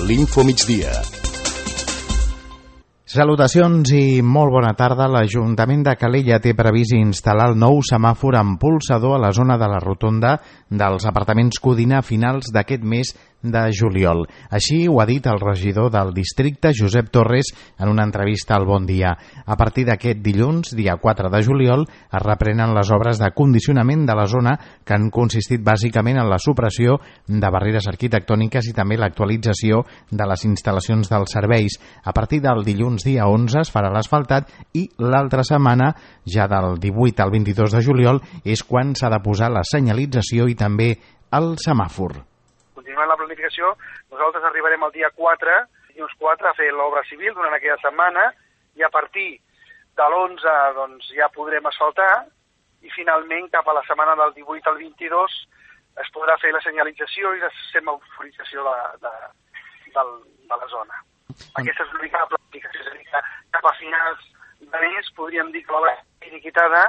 l'Infomigdia. Salutacions i molt bona tarda. L'Ajuntament de Calella té previst instal·lar el nou semàfor amb pulsador a la zona de la rotonda dels apartaments Codina a finals d'aquest mes de juliol. Així ho ha dit el regidor del districte, Josep Torres, en una entrevista al Bon Dia. A partir d'aquest dilluns, dia 4 de juliol, es reprenen les obres de condicionament de la zona que han consistit bàsicament en la supressió de barreres arquitectòniques i també l'actualització de les instal·lacions dels serveis. A partir del dilluns dia 11 es farà l'asfaltat i l'altra setmana, ja del 18 al 22 de juliol, és quan s'ha de posar la senyalització i també el semàfor. Continuant la planificació, nosaltres arribarem el dia 4, dilluns 4, a fer l'obra civil durant aquella setmana i a partir de l'11 doncs, ja podrem asfaltar i finalment cap a la setmana del 18 al 22 es podrà fer la senyalització i la semaforització de la zona. Aquesta és l'única planificació, és a dir, que cap a finals de mes podríem dir que l'obra és liquidada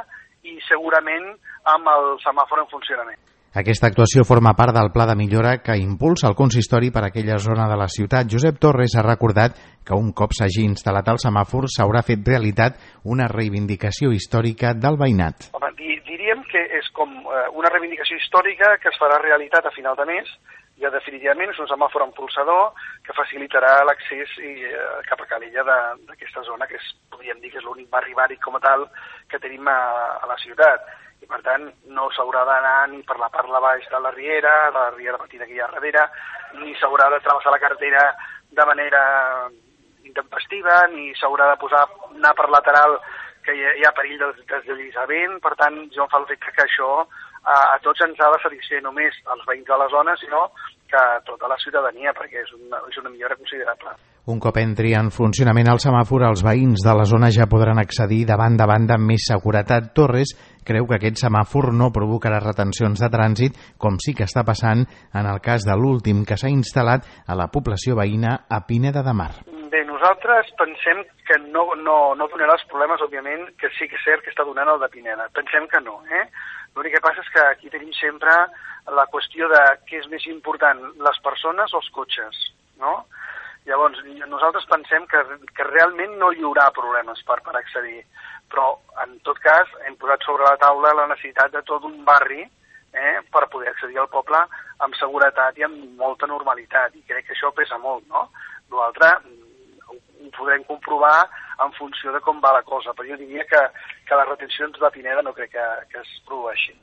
i segurament amb el semàfor en funcionament. Aquesta actuació forma part del pla de millora que impulsa el consistori per a aquella zona de la ciutat. Josep Torres ha recordat que un cop s'hagi instal·lat el semàfor s'haurà fet realitat una reivindicació històrica del veïnat. Home, diríem que és com una reivindicació històrica que es farà realitat a final de mes. Ja definitivament és un semàfor amb pulsador que facilitarà l'accés cap a Calella d'aquesta zona, que podríem dir que és l'únic barri bàric com a tal que tenim a la ciutat. I per tant no s'haurà d'anar ni per la part de baix de la riera petita que hi ha darrere, ni s'haurà de travessar la carretera de manera intempestiva, ni s'haurà de anar per lateral que hi ha perill de deslliçament. Per tant, jo em fa l'efecte que això a tots ens ha de satisfer, només als veïns de la zona, sinó que tota la ciutadania, perquè és una millora considerable. Un cop entri en funcionament el semàfor, els veïns de la zona ja podran accedir de banda a banda amb més seguretat. Torres creu que aquest semàfor no provocarà retencions de trànsit, com sí que està passant en el cas de l'últim que s'ha instal·lat a la població veïna a Pineda de Mar. Bé, nosaltres pensem que no donarà els problemes, òbviament, que sí que és cert que està donant el de Pineda. Pensem que no, L'únic que passa és que aquí tenim sempre la qüestió de què és més important, les persones o els cotxes, no? Llavors, nosaltres pensem que realment no hi haurà problemes per accedir, però en tot cas hem posat sobre la taula la necessitat de tot un barri per poder accedir al poble amb seguretat i amb molta normalitat, i crec que això pesa molt, no? L'altre ho podrem comprovar en funció de com va la cosa, però jo diria que les retencions de Pineda no crec que es produeixin.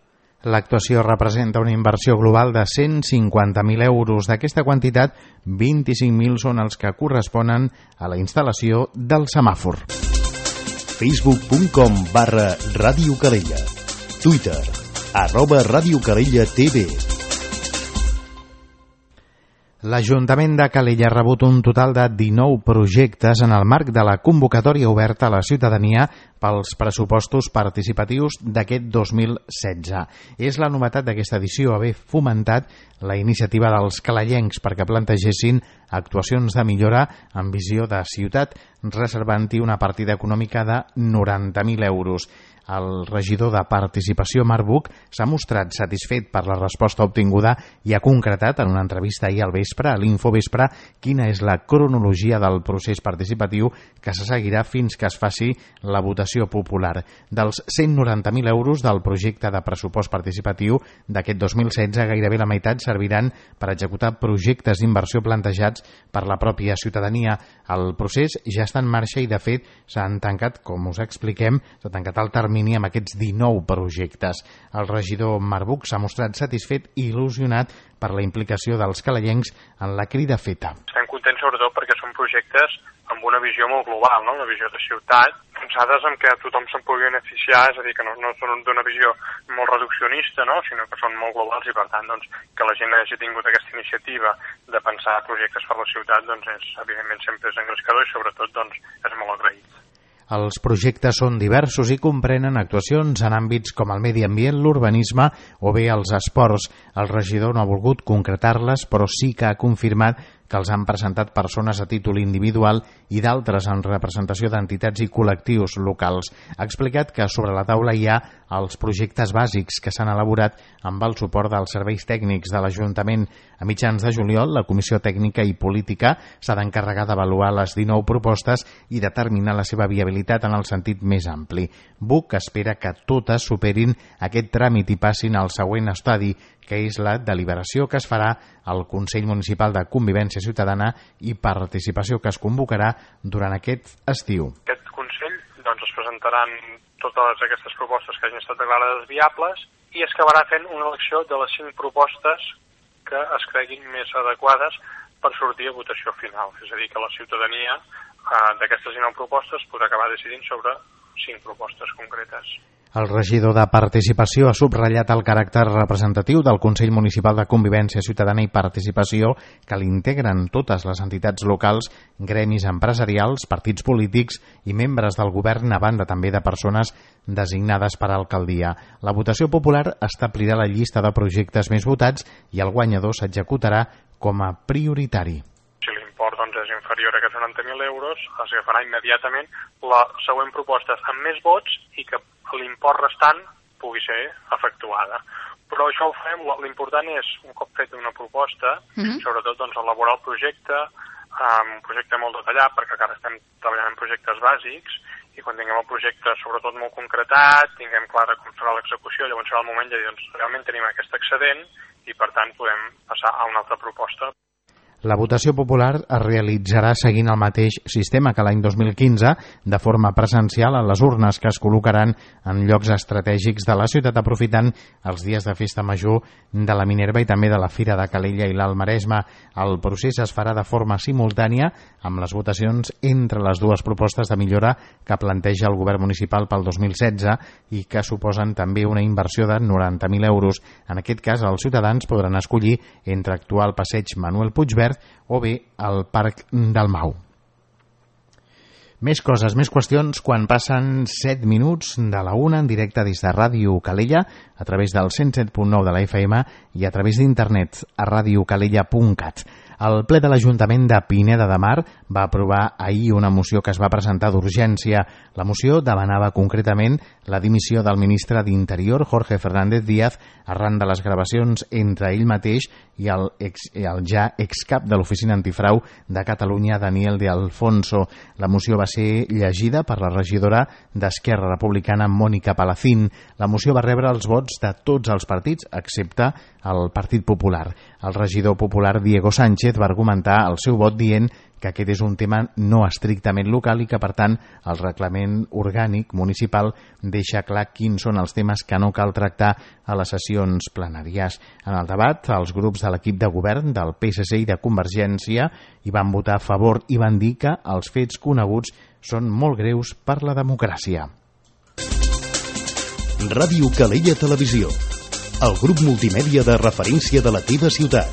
L'actuació representa una inversió global de 150.000 euros. D'aquesta quantitat, 25.000 són els que corresponen a la instal·lació del semàfor. Facebook.com/Ràdio Calella. Twitter @Ràdio Calella TV. L'Ajuntament de Calella ha rebut un total de 19 projectes en el marc de la convocatòria oberta a la ciutadania pels pressupostos participatius d'aquest 2016. És la novetat d'aquesta edició haver fomentat la iniciativa dels calellencs perquè plantegessin actuacions de millora amb visió de ciutat, reservant-hi una partida econòmica de 90.000 euros. El regidor de Participació, Marc Buch, s'ha mostrat satisfet per la resposta obtinguda i ha concretat en una entrevista ahir al vespre, a l'Infovespre, quina és la cronologia del procés participatiu que se seguirà fins que es faci la votació popular. Dels 190.000 euros del projecte de pressupost participatiu d'aquest 2016, gairebé la meitat serviran per executar projectes d'inversió plantejats per la pròpia ciutadania. El procés ja està en marxa i, de fet, s'han tancat, com us expliquem, s'ha tancat el termini amb aquests 19 projectes. El regidor Marc Buch s'ha mostrat satisfet i il·lusionat per la implicació dels calellencs en la crida feta. Estem contents sobretot perquè són projectes amb una visió molt global, no? Una visió de ciutat, pensades en què tothom se'n pugui beneficiar, és a dir, que no són d'una visió molt reduccionista, no? Sinó que són molt globals i, per tant, doncs, que la gent hagi tingut aquesta iniciativa de pensar projectes per la ciutat, doncs, evidentment sempre és engrescador i, sobretot, doncs, és molt agraït. Els projectes són diversos i comprenen actuacions en àmbits com el medi ambient, l'urbanisme o bé els esports. El regidor no ha volgut concretar-les, però sí que ha confirmat que els han presentat persones a títol individual i d'altres en representació d'entitats i col·lectius locals. Ha explicat que sobre la taula hi ha els projectes bàsics que s'han elaborat amb el suport dels serveis tècnics de l'Ajuntament. A mitjans de juliol, la Comissió Tècnica i Política s'ha d'encarregar d'avaluar les 19 propostes i determinar la seva viabilitat en el sentit més ampli. BUC espera que totes superin aquest tràmit i passin al següent estadi, que és la deliberació que es farà al Consell Municipal de Convivència Ciutadana i Participació, que es convocarà durant aquest estiu. Aquest Consell es presentaran totes aquestes propostes que hagin estat declarades viables i es acabarà fent una elecció de les 5 propostes que es creguin més adequades per sortir a votació final. És a dir, que la ciutadania d'aquestes 19 propostes podrà acabar decidint sobre 5 propostes concretes. El regidor de Participació ha subratllat el caràcter representatiu del Consell Municipal de Convivència Ciutadana i Participació, que l'integren totes les entitats locals, gremis empresarials, partits polítics i membres del govern, a banda també de persones designades per alcaldia. La votació popular establirà la llista de projectes més votats i el guanyador s'executarà com a prioritari. Si l'import és inferior a aquests 90.000 euros, es agafarà immediatament la següent proposta amb més vots i que l'import restant pugui ser efectuada. Però això ho fem, l'important és, un cop fet una proposta, sobretot elaborar el projecte, un projecte molt detallat, perquè encara estem treballant en projectes bàsics, i quan tinguem el projecte sobretot molt concretat, tinguem clara com serà l'execució, llavors serà el moment de dir, realment tenim aquest excedent i per tant podem passar a una altra proposta. La votació popular es realitzarà seguint el mateix sistema que l'any 2015, de forma presencial a les urnes que es col·locaran en llocs estratègics de la ciutat, aprofitant els dies de festa major de la Minerva i també de la Fira de Calella i l'Alt Maresme. El procés es farà de forma simultània amb les votacions entre les dues propostes de millora que planteja el govern municipal pel 2016 i que suposen també una inversió de 90.000 euros. En aquest cas, els ciutadans podran escollir entre actuar al passeig Manuel Puigverd o bé al Parc del Mau. Més coses, més qüestions quan passen 7 minuts de la 1 en directe des de Ràdio Calella a través del 107.9 de la FM i a través d'internet a radiocalella.cat. El ple de l'Ajuntament de Pineda de Mar va aprovar ahir una moció que es va presentar d'urgència. La moció demanava concretament la dimissió del ministre d'Interior, Jorge Fernández Díaz, arran de les gravacions entre ell mateix i el ja excap de l'Oficina Antifrau de Catalunya, Daniel de Alfonso. La moció va ser llegida per la regidora d'Esquerra Republicana, Mònica Palacín. La moció va rebre els vots de tots els partits, excepte el Partit Popular. El regidor popular Diego Sánchez va argumentar el seu vot dient que aquest és un tema no estrictament local i que, per tant, el reglament orgànic municipal deixa clar quins són els temes que no cal tractar a les sessions plenàries. En el debat, els grups de l'equip de govern del PSC i de Convergència hi van votar a favor i van dir que els fets coneguts són molt greus per la democràcia. Ràdio Calella Televisió, el grup multimèdia de referència de la teva ciutat.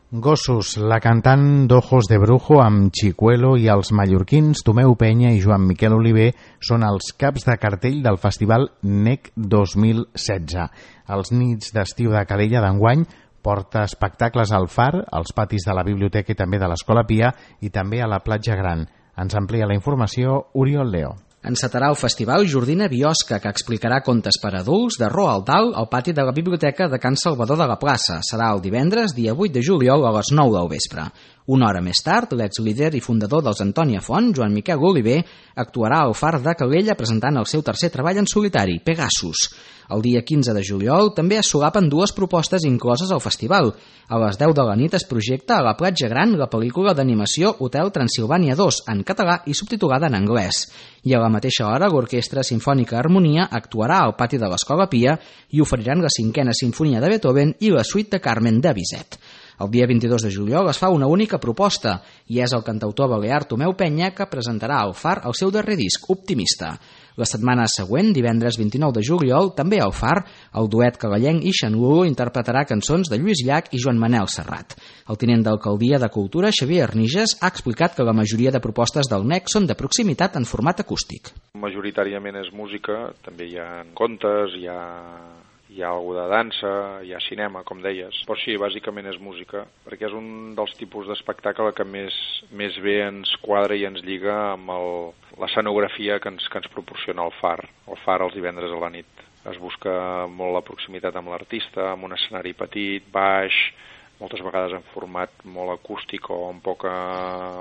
Gossos, la cantant d'Ojos de Brujo amb Chicuelo i els mallorquins Tomeu Penya i Joan Miquel Oliver són els caps de cartell del Festival NEC 2016. Els nits d'estiu de Calella d'enguany porta espectacles al Far, als patis de la Biblioteca i també de l'Escola Pia i també a la Platja Gran. Ens amplia la informació Oriol Leo. Encetarà el festival Jordina Biosca, que explicarà contes per adults de Roald Dahl al pati de la Biblioteca de Can Salvador de la Plaça. Serà el divendres, dia 8 de juliol, a les 9 del vespre. Una hora més tard, l'ex-líder i fundador dels Antònia Font, Joan Miquel Oliver, actuarà al Far de Calella presentant el seu tercer treball en solitari, Pegasus. El dia 15 de juliol també es solapen dues propostes incloses al festival. A les 10 de la nit es projecta a la Platja Gran la pel·lícula d'animació Hotel Transilvània 2, en català i subtitulada en anglès. I a la mateixa hora, l'Orquestra Simfònica Harmonia actuarà al pati de l'Escola Pia i oferiran la 5a Simfonia de Beethoven i la suite de Carmen de Bizet. El dia 22 de juliol es fa una única proposta i és el cantautor balear Tomeu Penya que presentarà al Far el seu darrer disc, Optimista. La setmana següent, divendres 29 de juliol, també al Far, el duet calellenc i Xanlulo interpretarà cançons de Lluís Llach i Joan Manel Serrat. El tinent d'Alcaldia de Cultura, Xavier Arniges, ha explicat que la majoria de propostes del NEC són de proximitat en format acústic. Majoritàriament és música, també hi ha contes, hi ha hi ha alguna de dansa, hi ha cinema, com deies. Però sí, bàsicament és música, perquè és un dels tipus d'espectacle que més bé ens quadra i ens lliga amb l'escenografia que ens proporciona el Far els divendres a la nit. Es busca molt la proximitat amb l'artista, amb un escenari petit, baix, moltes vegades en format molt acústic o amb poca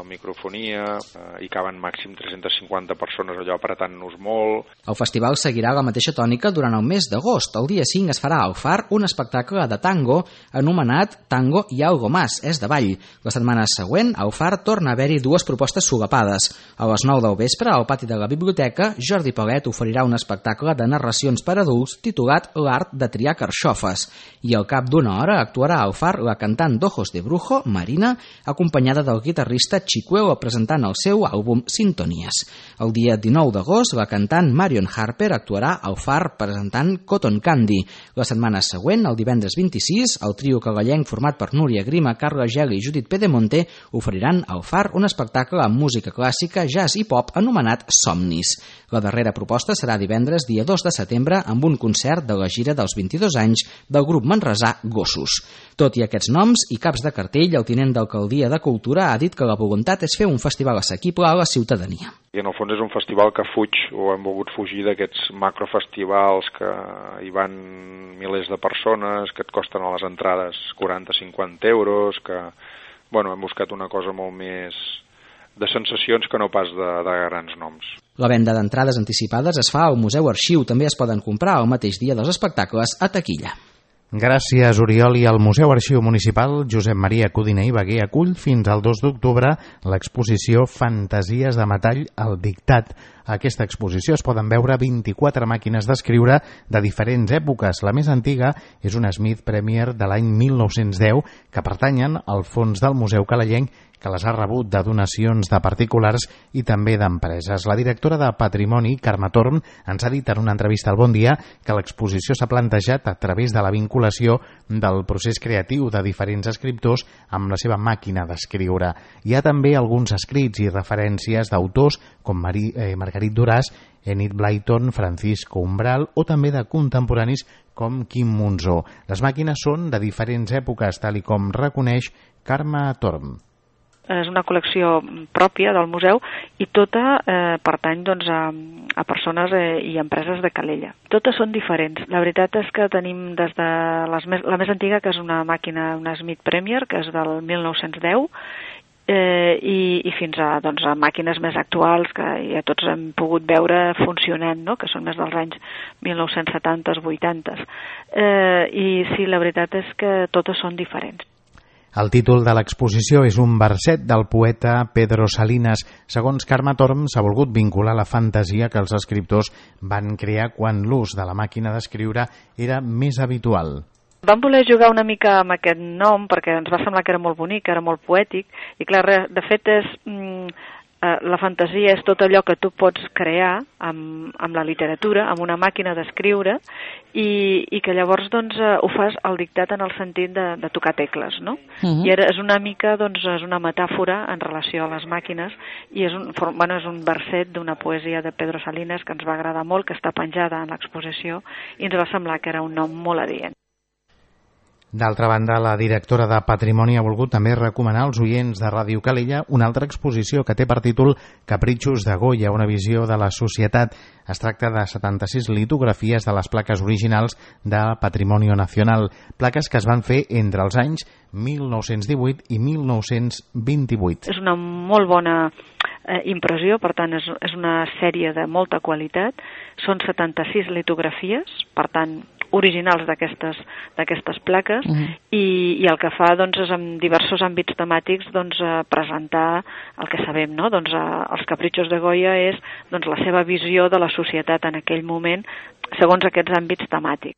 microfonia, i caben màxim 350 persones allò apretant-nos molt. El festival seguirà la mateixa tònica durant el mes d'agost. El dia 5 es farà al Far un espectacle de tango anomenat Tango y algo más, és de ball. La setmana següent, al Far torna a haver-hi dues propostes solapades. A les 9 del vespre, al pati de la biblioteca, Jordi Palet oferirà un espectacle de narracions per adults titulat L'art de triar carxofes. I al cap d'una hora actuarà al Far la cantant d'Ojos de Brujo, Marina, acompanyada del guitarrista Chicuelo presentant el seu àlbum Sintonías. El dia 19 d'agost, la cantant Marion Harper actuarà al Far presentant Cotton Candy. La setmana següent, el divendres 26, el trio cagallenc format per Núria Grima, Carla Geli i Judit Pedemonte oferiran al Far un espectacle amb música clàssica, jazz i pop anomenat Somnis. La darrera proposta serà divendres, dia 2 de setembre, amb un concert de la gira dels 22 anys del grup manresà Gossos. Tot i aquests noms i caps de cartell, el tinent d'Alcaldia de Cultura ha dit que la voluntat és fer un festival assequible a la ciutadania. I en el fons és un festival que fuig, o hem volgut fugir d'aquests macrofestivals que hi van milers de persones, que et costen a les entrades 40-50 euros, que hem buscat una cosa molt més de sensacions que no pas de grans noms. La venda d'entrades anticipades es fa al Museu Arxiu. També es poden comprar el mateix dia dels espectacles a taquilla. Gràcies, Oriol. I el Museu Arxiu Municipal Josep Maria Codina i Bagué acull fins al 2 d'octubre l'exposició Fantasies de metall al dictat. A aquesta exposició es poden veure 24 màquines d'escriure de diferents èpoques. La més antiga és una Smith Premier de l'any 1910 que pertanyen al fons del Museu Calellenc, que les ha rebut de donacions de particulars i també d'empreses. La directora de Patrimoni, Carme Torm, ens ha dit en una entrevista al Bon Dia que l'exposició s'ha plantejat a través de la vinculació del procés creatiu de diferents escriptors amb la seva màquina d'escriure. Hi ha també alguns escrits i referències d'autors com Margarit Duras, Enid Blyton, Francisco Umbral o també de contemporanis com Quim Monzó. Les màquines són de diferents èpoques, tal i com reconeix Carme Torm. És una col·lecció pròpia del museu i tota pertany a persones i empreses de Calella. Totes són diferents. La veritat és que tenim des de la més antiga, que és una màquina, una Smith Premier, que és del 1910, i fins a màquines més actuals que ja tots hem pogut veure funcionant, no? Que són més dels anys 1970s, 80s. I sí, la veritat és que totes són diferents. El títol de l'exposició és un verset del poeta Pedro Salinas. Segons Carme Torm, s'ha volgut vincular la fantasia que els escriptors van crear quan l'ús de la màquina d'escriure era més habitual. Vam voler jugar una mica amb aquest nom perquè ens va semblar que era molt bonic, que era molt poètic, i clar, de fet és... la fantasia és tot allò que tu pots crear amb la literatura, amb una màquina d'escriure, i que llavors ho fas al dictat en el sentit de tocar tecles, no? I és una mica, és una metàfora en relació a les màquines, i és un verset d'una poesia de Pedro Salinas que ens va agradar molt, que està penjada en l'exposició, i ens va semblar que era un nom molt adient. D'altra banda, la directora de Patrimoni ha volgut també recomanar als oients de Ràdio Calella una altra exposició que té per títol Capritxos de Goya, una visió de la societat. Es tracta de 76 litografies de les plaques originals de Patrimonio Nacional, plaques que es van fer entre els anys 1918 i 1928. És una molt bona impressió, per tant és una sèrie de molta qualitat. Són 76 litografies, per tant originals d'aquestes plaques, i el que fa és en diversos àmbits temàtics presentar el que sabem, no? Els Capritxos de Goya és la seva visió de la societat en aquell moment segons aquests àmbits temàtics.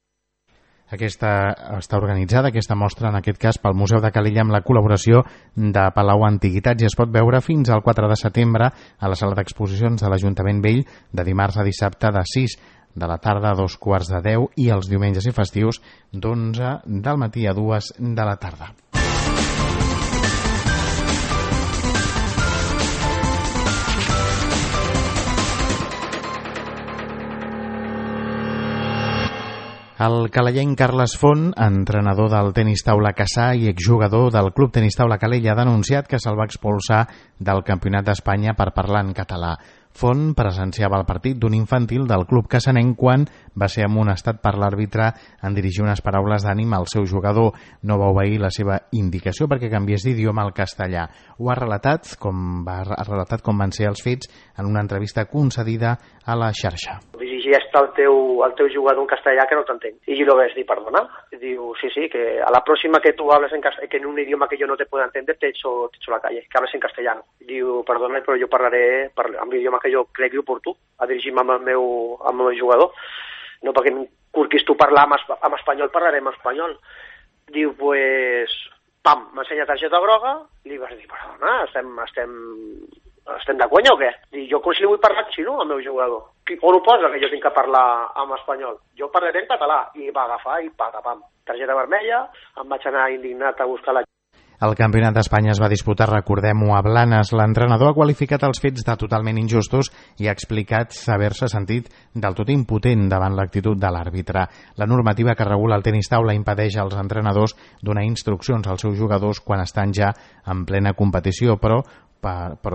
Aquesta està organitzada, aquesta mostra, en aquest cas, pel Museu de Calella amb la col·laboració de Palau Antiguitats, i es pot veure fins al 4 de setembre a la sala d'exposicions de l'Ajuntament Vell, de dimarts a dissabte de 6 de la tarda a 2:45 i els diumenges i festius d'11 del matí a 2 de la tarda. El calellenc Carles Font, entrenador del tenis taula Cassà i exjugador del Club Tenis Taula Calella, ha denunciat que se'l va expulsar del Campionat d'Espanya per parlar en català. Font presenciava el partit d'un infantil del club cassanenc quan va ser amonestat per l'àrbitre en dirigir unes paraules d'ànim al seu jugador. No va obeir la seva indicació perquè canviés d'idioma al castellà. Ho ha relatat com van ser els fets en una entrevista concedida a la xarxa. Dirigeix el teu jugador en castellà que no t'entenc. I yo lo ves dir, perdona. Diu, sí, que a la próxima que tú hables que en un idioma que yo no te pueda entender, te echo la calle, que hables en castellano. Diu, perdona, però jo parlaré amb l'idioma que jo cregui oportú, a dirigir-me amb el meu jugador. No perquè em curquis tu parlar en espanyol, parlarem en espanyol. Diu, pues, pam, m'ensenya targeta groga, li vas dir, perdona, estem de conya o què? I jo com si li vull parlar xino al meu jugador. On ho posa que jo tinc que parlar en espanyol? Jo parlaré en català. I va agafar i patapam. Targeta vermella, em vaig anar indignat a buscar la... El Campionat d'Espanya es va disputar, recordem-ho, a Blanes. L'entrenador ha qualificat els fets de totalment injustos i ha explicat haver-se sentit del tot impotent davant l'actitud de l'àrbitre. La normativa que regula el tenis taula impedeix als entrenadors donar instruccions als seus jugadors quan estan ja en plena competició, però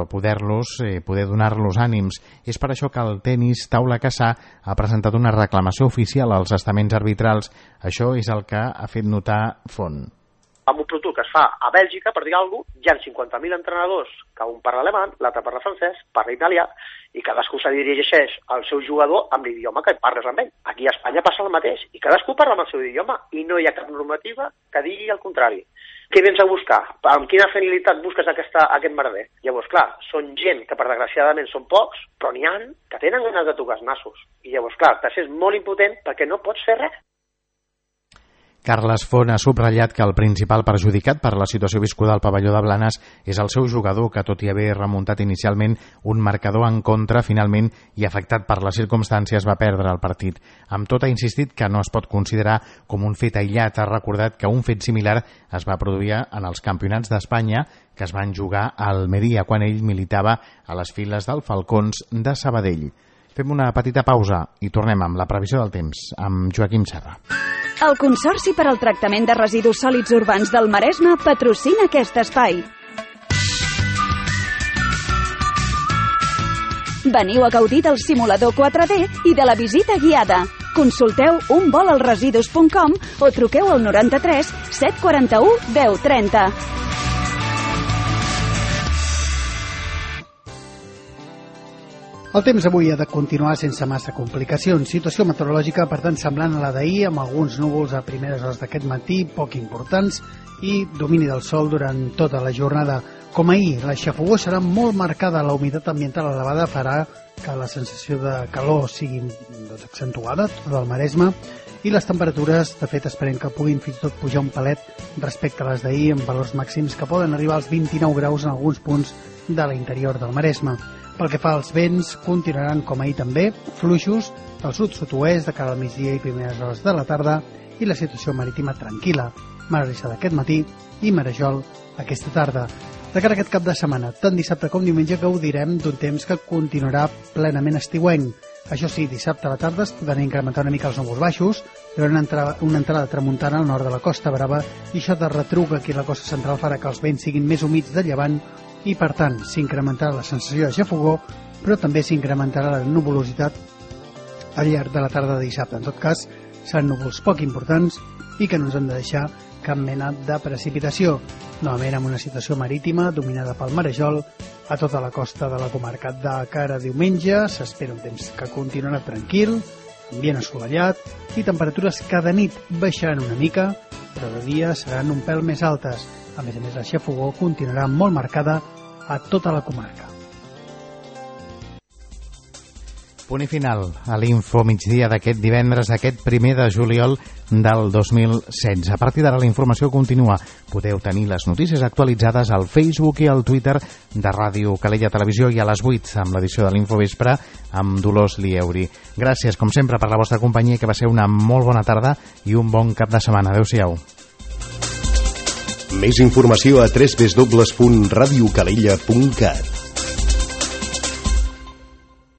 poder donar-los ànims. És per això que el tenis taula Cassà ha presentat una reclamació oficial als estaments arbitrals. Això és el que ha fet notar Font. Amb un producte que es fa a Bèlgica, per dir alguna cosa, hi ha 50.000 entrenadors, que un parla alemany, l'altre parla francès, parla italià, i cadascú se dirigeix al seu jugador amb l'idioma que parles amb ell. Aquí a Espanya passa el mateix, i cadascú parla amb el seu idioma, i no hi ha cap normativa que digui el contrari. Què vens a buscar? Amb quina finalitat busques aquest merder? Llavors, clar, són gent que, per desgraciadament, són pocs, però n'hi ha que tenen ganes de tocar els nassos. I llavors, clar, te sents molt impotent perquè no pots fer res. Carles Font ha subratllat que el principal perjudicat per la situació viscuda al pavelló de Blanes és el seu jugador, que tot i haver remuntat inicialment un marcador en contra, finalment, i afectat per les circumstàncies, va perdre el partit. Amb tot, ha insistit que no es pot considerar com un fet aïllat. Ha recordat que un fet similar es va produir en els campionats d'Espanya que es van jugar a Almeria, quan ell militava a les files del Falcons de Sabadell. Fem una petita pausa i tornem amb la previsió del temps, amb Joaquim Serra. El Consorci per al Tractament de Residus Sòlids Urbans del Maresme patrocina aquest espai. Veniu a gaudir del simulador 4D i de la visita guiada. Consulteu unvolalresidus.com o truqueu al 93 741 1030. El temps avui ha de continuar sense massa complicacions. Situació meteorològica, per tant, semblant a la d'ahir, amb alguns núvols a primeres hores d'aquest matí, poc importants, i domini del sol durant tota la jornada. Com ahir, la xafogor serà molt marcada. La humitat ambiental elevada farà que la sensació de calor sigui accentuada, tot el Maresme, i les temperatures, de fet, esperem que puguin fins i tot pujar un palet respecte a les d'ahir, amb valors màxims que poden arribar als 29 graus en alguns punts de l'interior del Maresme. Pel que fa als vents, continuaran com ahir també, fluixos del sud-sud-oest de cara al migdia i primeres hores de la tarda, i la situació marítima tranquil·la. Mar Arissada aquest matí i Marejol aquesta tarda. De cara a aquest cap de setmana, tant dissabte com diumenge, gaudirem d'un temps que continuarà plenament estiuenc. Això sí, dissabte a la tarda es podran incrementar una mica els núvols baixos, però una entrada tramuntana al nord de la Costa Brava, i això de retruc aquí a la costa central farà que els vents siguin més humits de llevant, i per tant s'incrementarà la sensació de xafogor, però també s'incrementarà la nuvolositat al llarg de la tarda de dissabte. En tot cas, seran núvols poc importants i que no ens han de deixar cap mena de precipitació. Novament amb una situació marítima dominada pel marejol a tota la costa de la comarca. De cara a diumenge s'espera un temps que continuarà tranquil, ambient assolellat i temperatures que de nit baixaran una mica, però de dia seran un pèl més altes. A més, la xafogor continuarà molt marcada a tota la comarca. Punt i final a l'Info migdia d'aquest divendres, aquest 1 de juliol del 2016. A partir d'ara la informació continua. Podeu tenir les notícies actualitzades al Facebook i al Twitter de Ràdio Calella Televisió i a les 8 amb l'edició de l'Info Vespre amb Dolors Lieuri. Gràcies, com sempre, per la vostra companyia, que va ser una molt bona tarda i un bon cap de setmana. Adéu-siau. Més informació a www.radiocalella.cat.